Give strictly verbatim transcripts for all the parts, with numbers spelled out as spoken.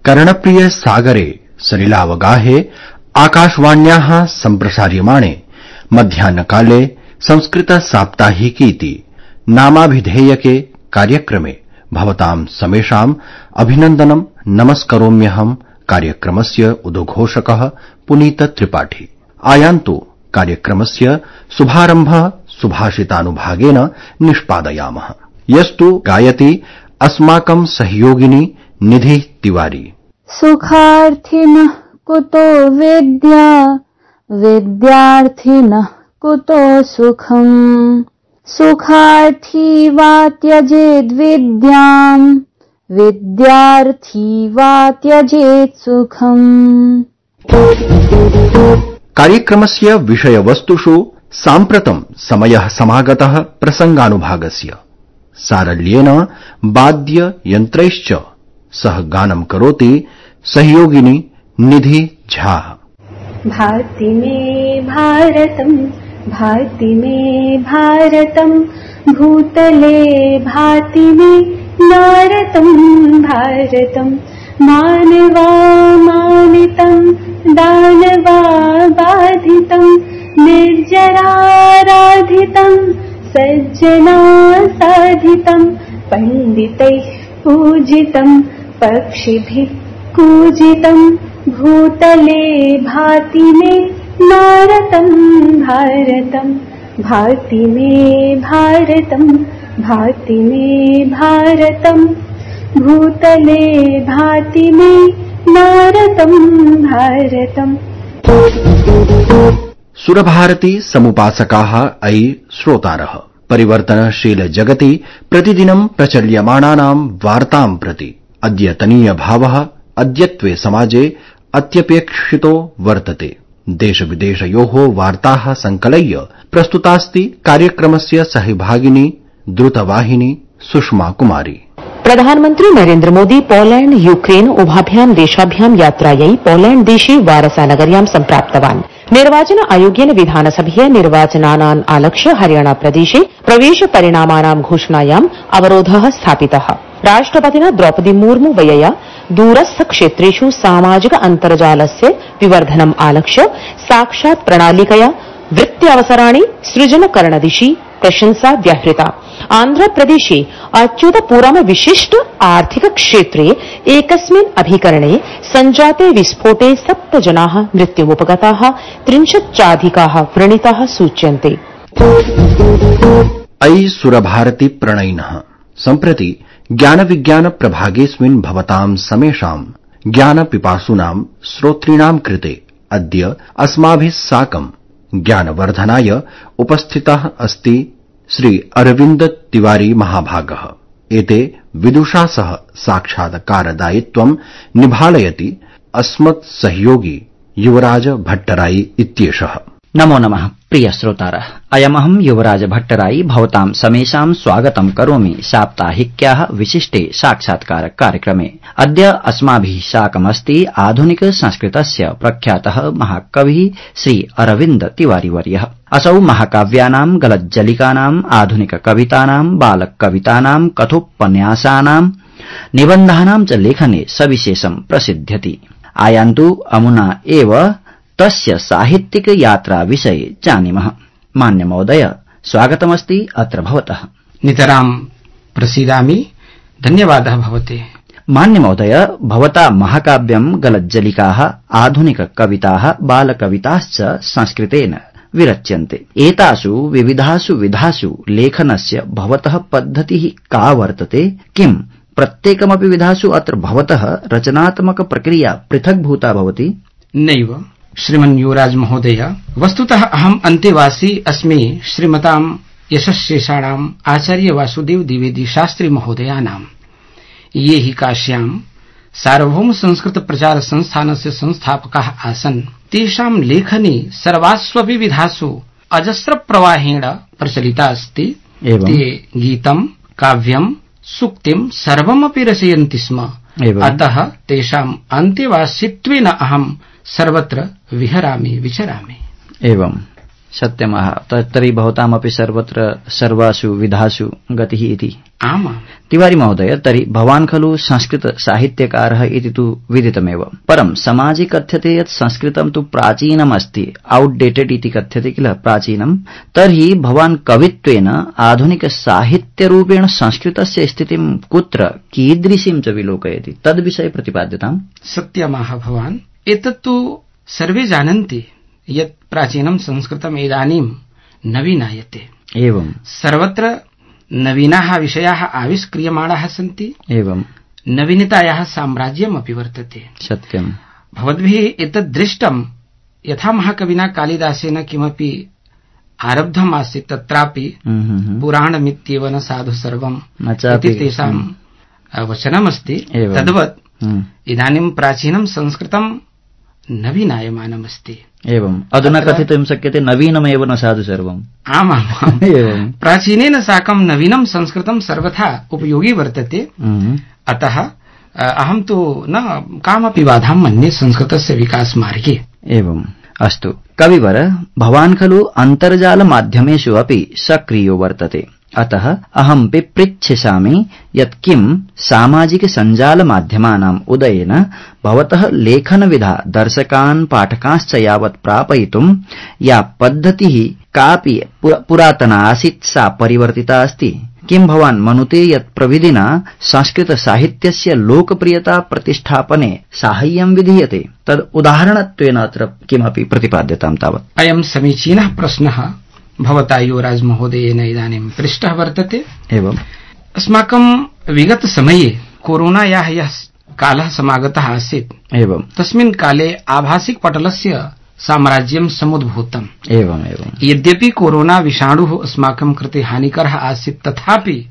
कर्णप्रिय सागरे सलिलावगाहे आकाशवाण्याः सम्प्रसार्यमाणे मध्याह्नकाले संस्कृत साप्ताहिकीति नामाभिधेयके कार्यक्रमे भवतां समेषाम् अभिनन्दनं नमस्करोम्यहम् कार्यक्रमस्य उद्घोषकः पुनीत त्रिपाठी। आयान्तु कार्यक्रमस्य शुभारम्भः सुभाषितानुभागेन निष्पादयामः। यस्तु गायति अस्माकं सहयोगिनी निधि तिवारी। सुखार्थिनः कुतो विद्या विद्यार्थिनः कुतो सुखम् सुखार्थी वा त्यजेद् विद्याम् विद्यार्थी वा त्यजेत् सुखम्। कार्यक्रमस्य विषयवस्तुषु साम्प्रतं समयः समागतः प्रसंगानुभागस्य सारल्येन वाद्य यन्त्रैश्च सह गानं करोति सहयोगिनी निधि झा। भाति मे भारतम् भाति मे भारतम् भूतले भाति मे नारतम् भारतम् मानवा मानितम् दानवा बाधितम् निर्जराराधितम् सज्जना साधितम् पण्डितैः पूजितम् पक्षिभिः कूजितम् भूतले भाति मे नारतम् भारतम् भाति मे भारतम् भाति मे भारतम् भूतले भाति मे नारतम् भारतम्। सुरभारती समुपासकाः अयि श्रोतारः परिवर्तनशील जगति प्रतिदिनं प्रचल्यमानानां वार्तां प्रति अद्यतनीय भावः अद्यत्वे समाजे अत्यपेक्षितो वर्तते। देशविदेशयोः वार्ताः संकलय्य प्रस्तुतास्ति कार्यक्रमस्य सहभागिनी द्रुतवाहिनी सुषमा कुमारी। प्रधानमन्त्री नरेन्द्र मोदी पोलैंड यूक्रेन उभाभ्यां देशाभ्यां यात्रायै पोलैंड देशे वारसानगर्यां सम्प्राप्तवान्। निर्वाचन आयोगेन विधानसभीय निर्वाचनानान् आलक्ष्य हरियाणा प्रदेशे प्रवेश परिणामानां घोषणायाम् अवरोधः स्थापितः। राष्ट्रपतिना द्रौपदी मुर्मू व्यया दूरस्थ क्षेत्रेषु सामाजिक अन्तर्जालस्य विवर्धनम् आलक्ष्य साक्षात् प्रणालिकया वृत्त्यवसराणि सृजनकरणदिशि प्रशंसा व्याहृता। आन्ध्रप्रदेशे अच्युतपुरम विशिष्ट आर्थिक क्षेत्रे एकस्मिन् अभिकरणे सञ्जाते विस्फोटे सप्त जनाः मृत्युमुपगताः त्रिंशच्चाधिकाः व्रणिताः सूच्यन्ते। अयि सुरभारती प्रणयिनः सम्प्रति ज्ञानविज्ञान प्रभागेऽस्मिन् भवतां समेषां ज्ञानपिपासूनां श्रोतॄणां कृते अद्य अस्माभिः साकं ज्ञानवर्धनाय उपस्थितः अस्ति श्री अरविन्द तिवारी महाभागः। एते विदुषा सह साक्षात्कारदायित्वं निभालयति अस्मत् सहयोगी युवराज भट्टराई इत्येषः। नमो नमः प्रिय श्रोतारः, अयमहं युवराज भट्टराई भवतां समेषां स्वागतं करोमि साप्ताहिक्याः विशिष्टे साक्षात्कार कार्यक्रमे। अद्य अस्माभिः साकमस्ति आधुनिक संस्कृतस्य प्रख्यातः महाकविः श्री अरविन्द तिवारीवर्यः। असौ महाकाव्यानां गलज्जलिकानाम् आधुनिक कवितानां बालकवितानां कथोपन्यासानां निबन्धानां च लेखने सविशेषं प्रसिद्ध्यति। आयान्तु अमुना एव तस्य साहित्यिक यात्रा विषये जानीमः। मान्य महोदय, स्वागतमस्ति अत्र भवतः। नितरां प्रसीदामि, धन्यवादः भवते। मान्य महोदय, भवता महाकाव्यं गलज्जलिकाः आधुनिक कविताः बालकविताश्च संस्कृतेन विरच्यन्ते। एतासु विविधासु विधासु लेखनस्य भवतः पद्धतिः का वर्तते? किं प्रत्येकमपि विधासु अत्र भवतः रचनात्मक प्रक्रिया पृथग्भूता भवति? नैव श्रीमन् युवराज महोदय, वस्तुतः अहम् अन्तेवासी अस्मि श्रीमतां यशस्शेषाणाम् आचार्य वासुदेव द्विवेदी शास्त्री महोदयानाम्। ये हि काश्यां सार्वभौम संस्कृत प्रचार संस्थानस्य संस्थापकाः आसन्। तेषां लेखनी सर्वास्वपि विधासु अजस्र प्रवाहेण प्रचलिता अस्ति। ते गीतं, काव्यं, सूक्तिं सर्वमपि रचयन्ति स्म। अतः तेषाम् अन्तेवासित्वेन अहम् सर्वत्र विहरामि विचरामि। एवं सत्यमः। तर्हि भवतामपि सर्वत्र सर्वासु विधासु गतिः इति। आमां। तिवारी महोदय, तर्हि भवान् खलु संस्कृतसाहित्यकारः इति तु विदितमेव, परं समाजे कथ्यते यत् संस्कृतं तु प्राचीनमस्ति, औट्डेटेड् इति कथ्यते किल, प्राचीनं। तर्हि भवान् कवित्वेन आधुनिकसाहित्यरूपेण संस्कृतस्य स्थितिं कुत्र कीदृशीं च विलोकयति, तद्विषये प्रतिपाद्यताम्। सत्यमाह भवान्, एतत्तु सर्वे जानन्ति यत् प्राचीनं संस्कृतम् इदानीं नवीनायते। एवं सर्वत्र नवीनाः विषयाः आविष्क्रियमाणाः सन्ति। एवं नवीनतायाः साम्राज्यमपि वर्तते। सत्यम्। भवद्भिः एतद् दृष्टं यथा महाकविना कालिदासेन किमपि आरब्धम् आसीत् तत्रापि पुराणमित्येव न साधु सर्वम् इति तेषां वचनमस्ति। तद्वत् इदानीं प्राचीनं संस्कृतं नवीनायमानमस्ति। एवं अधुना कथितुं शक्यते नवीनमेव न साधु सर्वम्। आमाम्। एवं प्राचीनेन साकं नवीनं संस्कृतं सर्वथा उपयोगी वर्तते। अतः अहं तु न कामपि बाधां मन्ये संस्कृतस्य विकासमार्गे। एवम् अस्तु। कविवर, भवान् खलु अन्तर्जालमाध्यमेषु अपि सक्रियो वर्तते, अतः अहमपि पृच्छामि यत् किं सामाजिकसञ्जालमाध्यमानाम् उदयेन भवतः लेखनविधा दर्शकान् पाठकांश्च यावत् प्रापयितुं या पद्धतिः कापि पुरातना आसीत् सा परिवर्तिता अस्ति। किं भवान् मनुते यत् प्रविधिना संस्कृतसाहित्यस्य लोकप्रियता प्रतिष्ठापने साहाय्यं विधीयते, तद् उदाहरणत्वेन अत्र किमपि प्रतिपाद्यतां तावत्। अयं समीचीनः प्रश्नः भवता युवराज महोदयेन इदानीं पृष्टः वर्तते। एवम् अस्माकं विगत समये कोरोनायाः यः कालः समागतः आसीत्, एवं तस्मिन् काले आभासिक पटलस्य साम्राज्यं समुद्भूतम्। एवम् एवं यद्यपि कोरोना विषाणुः अस्माकं कृते हानिकरः आसीत्, तथापि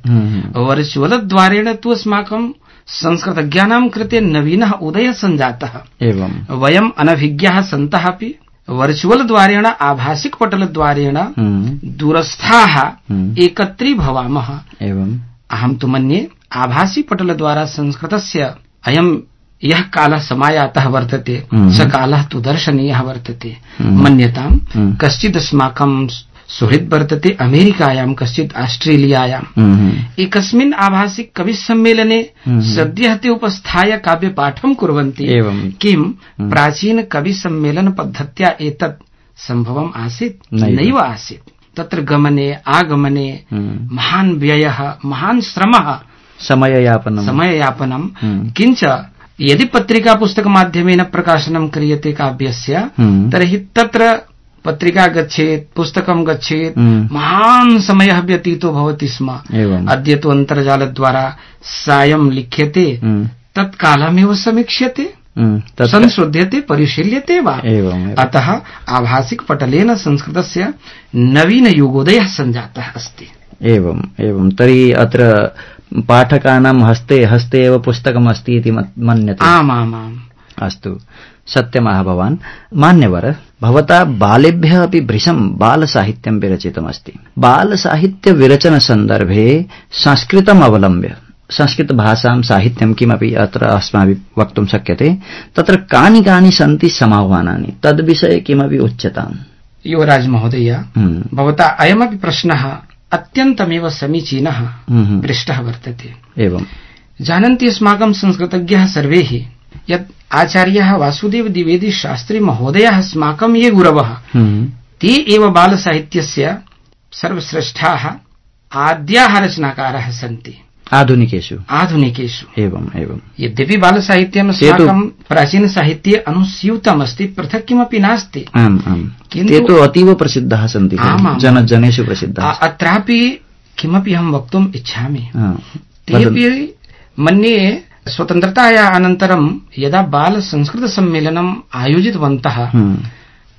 वर्चुवल द्वारेण तु अस्माकं संस्कृतज्ञानां कृते नवीनः उदयः सञ्जातः। एवं वयम् अनभिज्ञाः सन्तः अपि वर्चुवल द्वारेण आभासिक पटल द्वारेण दूरस्थाः एकत्रीभवामः। एवं अहं तु मन्ये आभासी पटल द्वारा संस्कृतस्य अयं यः कालः समायातः वर्तते स कालः तु दर्शनीयः वर्तते। मन्यताम् कश्चित् अस्माकं सुहृद् वर्तते अमेरिकायां, कश्चित् आस्ट्रेलियायाम्। एकस्मिन् आभासिक कविसम्मेलने सद्यः ते उपस्थाय काव्यपाठं कुर्वन्ति। किं प्राचीन कविसम्मेलन पद्धत्या एतत् सम्भवम् आसीत्? नैव आसीत्। तत्र गमने आगमने महान् व्ययः, महान् श्रमः, समययापनं समययापनं किञ्च यदि पत्रिका पुस्तकमाध्यमेन प्रकाशनं क्रियते काव्यस्य, तर्हि तत्र पत्रिका गच्छेत्, पुस्तकं गच्छेत्, महान् समयः व्यतीतो भवति स्म। अद्य तु अन्तर्जालद्वारा सायं लिख्यते, तत्कालमेव समीक्ष्यते, संशोध्यते, परिशील्यते वा। अतः आभासिक पटलेन संस्कृतस्य नवीन युगोदयः सञ्जातः अस्ति। एवम् एवं तर्हि अत्र पाठकानां हस्ते हस्ते एव पुस्तकम् अस्ति इति मन्यते। आमामाम्। अस्तु, सत्यमाह भवान्। मान्यवर, भवता बालेभ्यः अपि भृशं बालसाहित्यं विरचितमस्ति। बालसाहित्यविरचनसन्दर्भे संस्कृतम् अवलम्ब्य संस्कृतभाषां साहित्यं किमपि अत्र अस्माभिः वक्तुं शक्यते। तत्र कानि कानि सन्ति समाह्वानानि, तद्विषये किमपि उच्यताम्। युवराज महोदय, भवता अयमपि प्रश्नः अत्यन्तमेव समीचीनः पृष्टः वर्तते। एवं जानन्ति अस्माकं संस्कृतज्ञाः सर्वे यत् आचार्यः वासुदेव द्विवेदी शास्त्री महोदयः अस्माकं ये गुरवः, ते एव बालसाहित्यस्य सर्वश्रेष्ठाः आद्याः रचनाकाराः सन्ति आधुनिकेषु आधुनिकेषु एवं एवं यद्यपि बालसाहित्यम् अस्माकं प्राचीनसाहित्ये अनुस्यूतमस्ति, पृथक् किमपि नास्ति। आम् आम् ते तु अतीव प्रसिद्धाः सन्ति, जनजनेषु प्रसिद्धाः। अत्रापि किमपि अहं वक्तुम् इच्छामि। तेऽपि मन्ये स्वतन्त्रतायाः अनन्तरं यदा बालसंस्कृतसम्मेलनम् आयोजितवन्तः,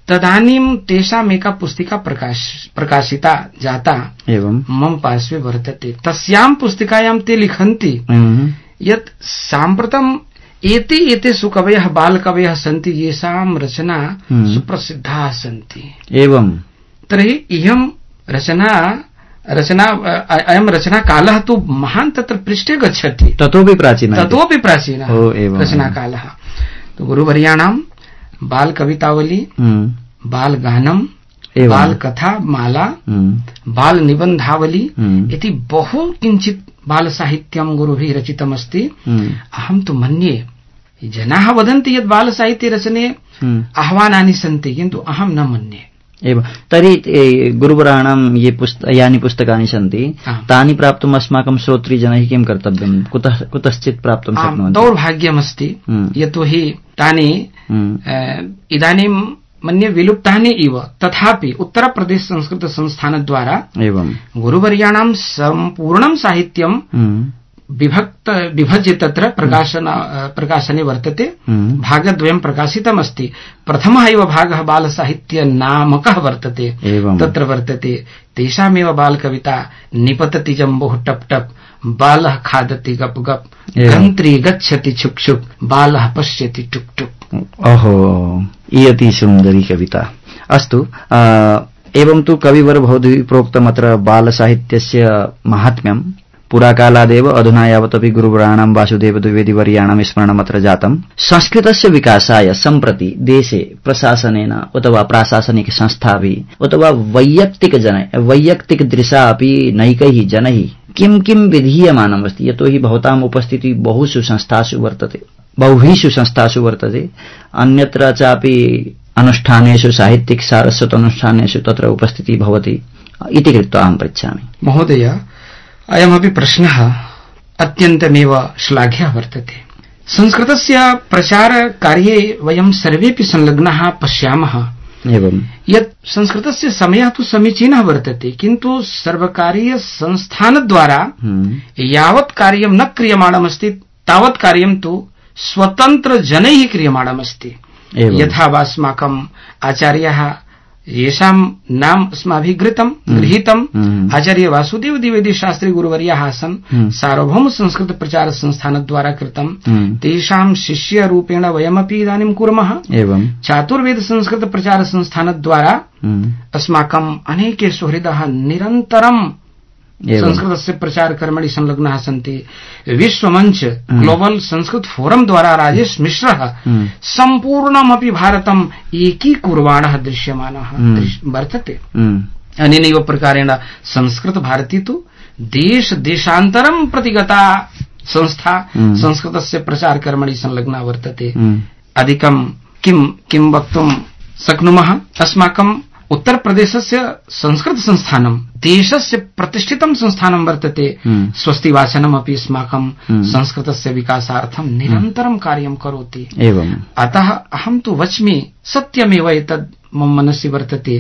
तदानीं तेषाम् एका पुस्तिका प्रकाश प्रकाशिता जाता, एवं मम पार्श्वे वर्तते। तस्यां पुस्तिकायां ते लिखन्ति यत् साम्प्रतम् एते एते सुकवयः बालकवयः सन्ति, येषां रचना सुप्रसिद्धाः सन्ति। एवं तर्हि इयं रचना रचना अयं रचनाकालः तु महान् तत्र पृष्ठे गच्छति। ततोपि प्राचीनः ततोपि प्राचीनः रचनाकालः। तो गुरुवर्याणां बाल कवितावली, बाल गानम बाल कथा माला बाल निबन्धावली इति बहु किञ्चित् बाल साहित्यं गुरुभिः रचितमस्ति। अहं तु मन्ये जनाः वदन्ति यत् बाल साहित्ये रचने आह्वानानि सन्ति, किन्तु अहं न मन्ये। एवं तर्हि गुरुवराणां ये पुस्त यानि पुस्तकानि सन्ति तानि प्राप्तुम् अस्माकं श्रोतृजनैः किं कर्तव्यं, कुतः कुतश्चित् प्राप्तुं शक्नुवन्ति? दौर्भाग्यमस्ति, यतोहि तानि इदानीं मन्ये विलुप्तानि इव। तथापि उत्तरप्रदेश संस्कृत संस्थानद्वारा एवं गुरुवर्याणां सम्पूर्णं साहित्यं विभक्त विभज्य तत्र प्रकाशन प्रकाशने वर्तते। भागद्वयं प्रकाशितमस्ति। प्रथमः एव भागः बालसाहित्य नामकः वर्तते। तत्र वर्तते तेषामेव बालकविता निपतति जम्बोः टप टप, बालः खादति गप गप, गन्त्री गच्छति छुक छुक, बालः पश्यति टुक टुक। ओहो, इयति सुन्दरी कविता। अस्तु, एवं तु कविवर भवद्भिः प्रोक्तमत्र बालसाहित्यस्य माहात्म्यं पुराकालादेव अधुना यावदपि गुरुवराणां वासुदेव द्विवेदीवर्याणां स्मरणमत्र जातम्। संस्कृतस्य विकासाय सम्प्रति देशे प्रशासनेन अथवा प्राशासनिक संस्थाभिः अथवा वैयक्तिक जन वैयक्तिक दृशा अपि नैकैः जनैः किं किं विधीयमानमस्ति? यतोहि भवताम् उपस्थितिः बहुषु संस्थासु वर्तते, बहुषु संस्थासु वर्तते, अन्यत्र चापि अनुष्ठानेषु साहित्यिक सारस्वत अनुष्ठानेषु तत्र उपस्थितिः भवति इति कृत्वा अहं पृच्छामि। महोदय, अयमपि प्रश्नः अत्यन्तमेव श्लाघ्यः वर्तते। संस्कृतस्य प्रचारकार्ये वयं सर्वेपि संलग्नाः पश्यामः एवं यत् संस्कृतस्य समयः तु समीचीनः वर्तते, किन्तु सर्वकारीय संस्थानद्वारा यावत् कार्यं न क्रियमाणमस्ति तावत् कार्यं तु स्वतन्त्र जनैः क्रियमाणमस्ति। यथा वा अस्माकम् आचार्याः येषां नाम अस्माभिः घृतं गृहीतम् आचार्य वासुदेव द्विवेदी शास्त्री गुरुवर्याः आसन्, सार्वभौम संस्कृत प्रचार संस्थानद्वारा कृतं, तेषां शिष्यरूपेण वयमपि इदानीं कुर्मः। एवं चातुर्वेद संस्कृत प्रचार संस्थानद्वारा अस्माकम् अनेके सुहृदाः निरन्तरं संस्कृतस्य प्रचार कर्मणि संलग्नाः सन्ति। विश्वमञ्च ग्लोबल संस्कृत फोरम द्वारा राजेश मिश्रः सम्पूर्णमपि भारतम् एकीकुर्वाणः दृश्यमानः वर्तते। अनेनैव प्रकारेण संस्कृत भारती तु देश देशान्तरं प्रति गता संस्था संस्कृतस्य प्रचार कर्मणि संलग्ना वर्तते। अधिकं किं किं वक्तुं शक्नुमः? अस्माकम् उत्तर प्रदेशस्य संस्कृत संस्थानं देशस्य प्रतिष्ठितं संस्थानं वर्तते। स्वस्ति वाचनमपि अस्माकं संस्कृतस्य विकासार्थं निरन्तरं कार्यं करोति। एवं अतः अहं तु वच्मि सत्यमेव एतद् मम मनसि वर्तते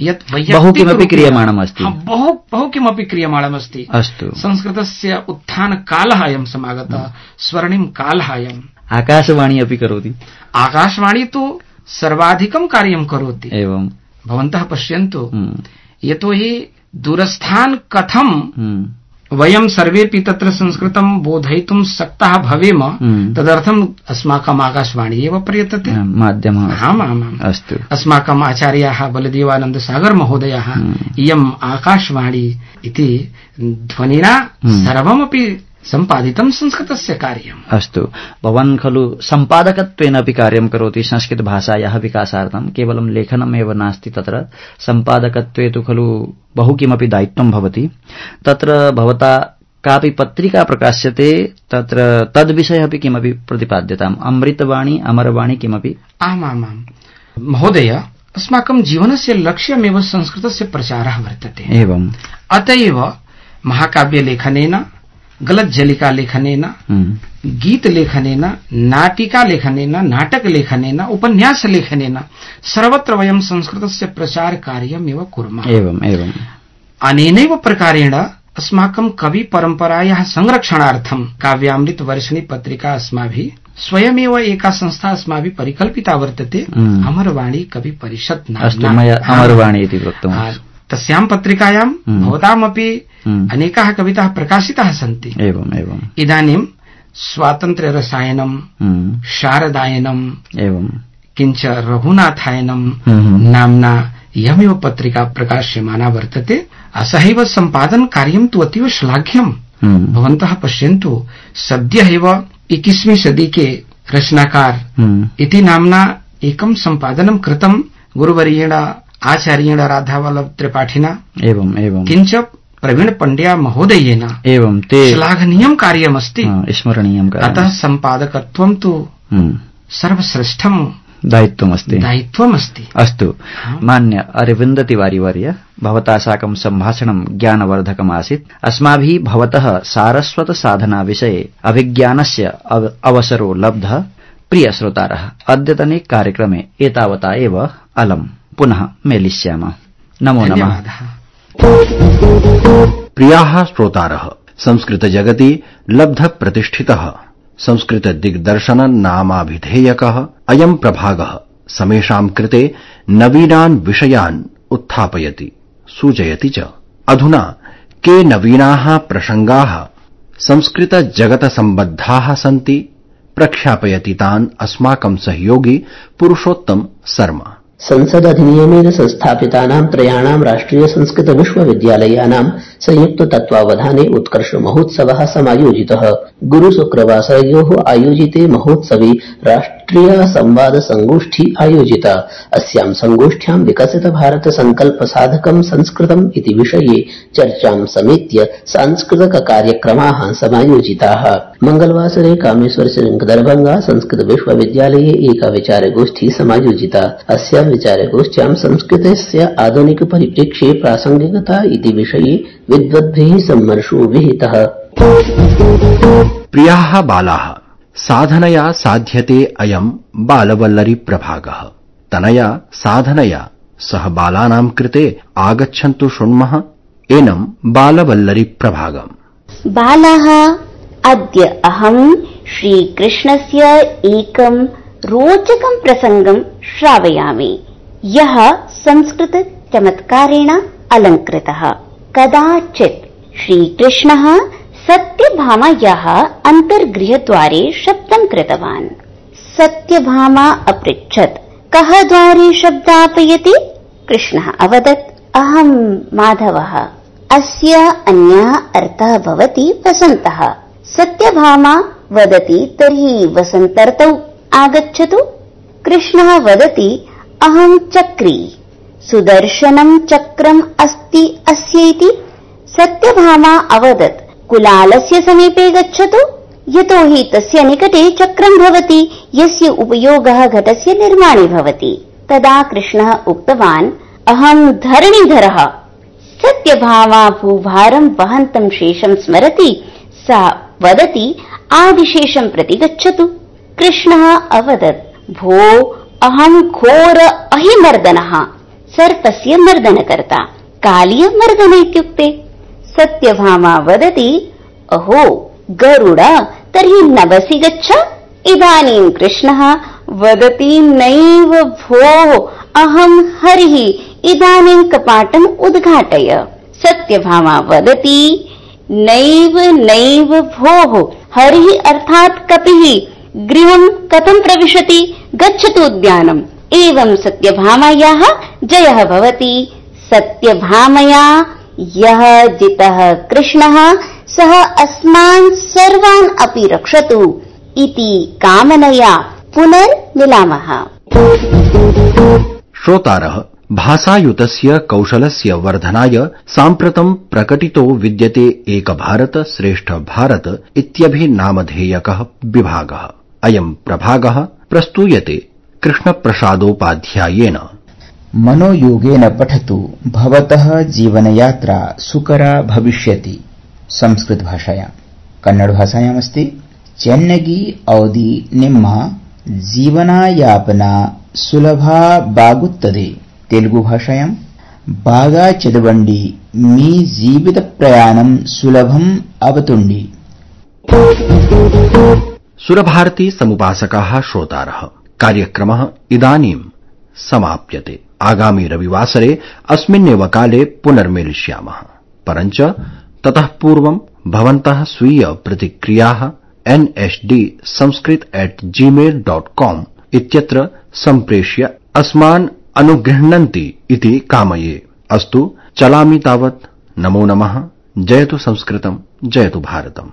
यत् बहु किमपि क्रियमाणमस्ति, बहु बहु किमपि क्रियमाणमस्ति। अस्तु, संस्कृतस्य उत्थानकालः अयं समागतः, स्वर्णिम कालः अयम्। आकाशवाणी अपि करोति। आकाशवाणी तु सर्वाधिकं कार्यं करोति। एवं भवन्तः पश्यन्तु, यतोहि दूरस्थान् कथं वयं सर्वेपि तत्र संस्कृतं बोधयितुं शक्ताः भवेम, तदर्थम् अस्माकम् आकाशवाणी एव प्रयतते माध्यमः। आम् आम् आम्। अस्तु, अस्माकम् आचार्याः बलदेवानन्द सागर महोदयाः इयम् आकाशवाणी इति ध्वनिना सर्वमपि सम्पादितं संस्कृतस्य कार्यम्। अस्तु, भवान् खलु सम्पादकत्वेन अपि कार्यं करोति संस्कृत भाषायाः विकासार्थं, केवलं लेखनमेव नास्ति, तत्र सम्पादकत्वे तु खलु बहु किमपि दायित्वं भवति। तत्र भवता कापि पत्रिका प्रकाश्यते, तत्र तद्विषये अपि किमपि प्रतिपाद्यताम्, अमृतवाणी अमरवाणी किमपि? आमामाम् महोदय, अस्माकं जीवनस्य लक्ष्यमेव संस्कृतस्य प्रचारः वर्तते। एवम् अतएव महाकाव्यलेखनेन, गलज्जलिका लेखनेन, गीत लेखनेन, नाटिका लेखनेन, नाटक लेखनेन, उपन्यास लेखनेन सर्वत्र वयं संस्कृतस्य प्रचार कार्यमेव कुर्मः। एवम् एवम् अनेनैव प्रकारेण अस्माकं कवि परम्परायाः संरक्षणार्थं काव्यामृत वर्षिणी पत्रिका अस्माभिः स्वयमेव एका संस्था अस्माभिः परिकल्पिता वर्तते, अमरवाणी कवि परिषत् नाम्ना। अस्तु, मया अमरवाणी इति वक्तुम्। तस्यां पत्रिकायां भवतामपि अनेकाः कविताः प्रकाशिताः सन्ति। एवम् एवम् इदानीं स्वातन्त्र्य रसायनं, शारदायनं, एवं किञ्च रघुनाथायनं नाम्ना इयमेव पत्रिका प्रकाश्यमाना वर्तते। असहैव सम्पादन कार्यं तु अतीव श्लाघ्यम्। भवन्तः पश्यन्तु, सद्यः एव इक्कीसवीं सदी के रचनाकार इति नाम्ना एकं सम्पादनं कृतं गुरुवर्येण आचार्येण राधावल्लभ त्रिपाठिना एवं एवं किञ्च प्रवीण पण्ड्या महोदयेन एवं ते श्लाघनीयं कार्यमस्ति, स्मरणीयं कार्यम्। अतः सम्पादकत्वं तु सर्वश्रेष्ठं दायित्वमस्ति दायित्वमस्ति अस्तु। मान्य अरविन्द तिवारी वर्य, भवता साकं सम्भाषणं ज्ञानवर्धकमासीत्। अस्माभिः भवतः सारस्वत साधना विषये अभिज्ञानस्य अवसरो लब्धः। प्रिय श्रोतारः, अद्यतने कार्यक्रमे एतावता एव अलम्। पुनः मेलिष्यामः। नमो नमः। प्रियाः श्रोतारः, संस्कृत जगति लब्ध प्रतिष्ठितः संस्कृत दिग्दर्शन नामाभिधेयकः अयम् प्रभागः समेषाम् कृते नवीनान् विषयान् उत्थापयति, सूचयति च। अधुना के नवीनाः प्रसंगाः संस्कृत जगत सम्बद्धाः सन्ति, प्रख्यापयति तान् अस्माकं सहयोगी पुरुषोत्तम शर्मा। संसद अधिनियमेन संस्थापितानां त्रयाणां राष्ट्रिय संस्कृत विश्वविद्यालयानां संयुक्त तत्त्वावधाने उत्कर्ष महोत्सवः समायोजितः। गुरु शुक्रवासरयोः आयोजिते महोत्सवे राष्ट्रिय संवाद संगोष्ठी आयोजिता। अस्यां संगोष्ठ्यां विकसित भारत संकल्प साधकं संस्कृतम् इति विषये चर्चां समेत्य सांस्कृतिक कार्यक्रमाः समायोजिताः। मंगलवासरे कामेश्वर श्रृंग दरभंगा संस्कृत विश्वविद्यालये एका विचारगोष्ठी समायोजिता। अस्यां विचारगोष्ठ्यां संस्कृतस्य आधुनिक परिप्रेक्ष्ये प्रासंगिकता इति विषये विद्वद्भिः सम्मर्शो विहितः। प्रियाः बालाः, साधनया साध्यते अयम् बालवल्लरी प्रभागः। तनया साधनया सह बालानां कृते आगच्छन्तु शृण्मः एनं बालवल्लरी प्रभागम्। बालाः, अद्य अहम् श्रीकृष्णस्य एकं रोचकं प्रसङ्गं श्रावयामि, यः संस्कृत चमत्कारेण अलङ्कृतः। कदाचित् श्रीकृष्णः सत्यभामायाः अन्तर्गृहद्वारे शब्दं कृतवान्। सत्यभामा अपृच्छत्, कः द्वारे शब्दापयति? कृष्णः अवदत्, अहम् माधवः। अस्य अन्यः अर्थः भवति वसन्तः। सत्यभामा वदति, तर्हि वसन्तर्तौ आगच्छतु। कृष्णः वदति, अहम् चक्री, सुदर्शनं चक्रम् अस्ति अस्य इति। सत्यभामा अवदत्, कुलालस्य समीपे गच्छतु, यतोहि तस्य निकटे चक्रं भवति, यस्य उपयोगः घटस्य निर्माणे भवति। तदा कृष्णः उक्तवान्, अहम् धरणीधरः। सत्यभामा भूभारं वहन्तं शेषं स्मरति। सा वदति, आदिशेषं प्रति गच्छतु। कृष्णः अवदत्, भो, अहम् घोर अहिमर्दनः, सर्पस्य मर्दनकर्ता, कालीय मर्दन इत्युक्ते। सत्यभामा वदति, अहो गरुड, तर्हि नवसि गच्छ। इदानीं कृष्णः वदति, नैव भोः, अहम् हरिः, इदानीं कपाटम् उद्घाटय। सत्यभामा वदति, नैव नैव भोः, हरिः अर्थात् कपिः, गृहं कथं प्रविशति? गच्छतु उद्यानम्। एवं सत्यभामायाः जयः भवति। सत्यभामया यः जितः कृष्णः, सः अस्मान् सर्वान् अपि रक्षतु इति कामनया पुनर्मिलामः। श्रोतारः, भाषायुतस्य कौशलस्य वर्धनाय साम्प्रतं प्रकटितो विद्यते एक भारत श्रेष्ठ भारत इत्यभिनामधेयकः विभागः। अयम् प्रभागः प्रस्तूयते कृष्णप्रसादोपाध्यायेन। मनोयोगेन पठतु, भवतः जीवनयात्रा सुकरा भविष्यति। संस्कृत भाषायां, कन्नड भाषायामस्ति चेन्नगी औदी निम्म जीवनायापना सुलभा बागुत्तदे। तेलुगु भाषायां बागा चदवंडी मी जीवित प्रयाणं सुलभम अवतुंडी। सुरभारती समुपासकाः श्रोतारः, कार्यक्रमः इदानीं समाप्यते। आगामी रविवासरे अस्मिन्नेव काले पुनर्मेलिष्यामः। परञ्च ततः पूर्वं भवन्तः स्वीय प्रतिक्रियाः N S D Sanskrit at Gmail dot com इत्यत्र सम्प्रेष्य अस्मान् अनुगृह्णन्ति इति कामये। अस्तु, चलामि तावत्। नमो नमः। जयतु संस्कृतं, जयतु भारतम्।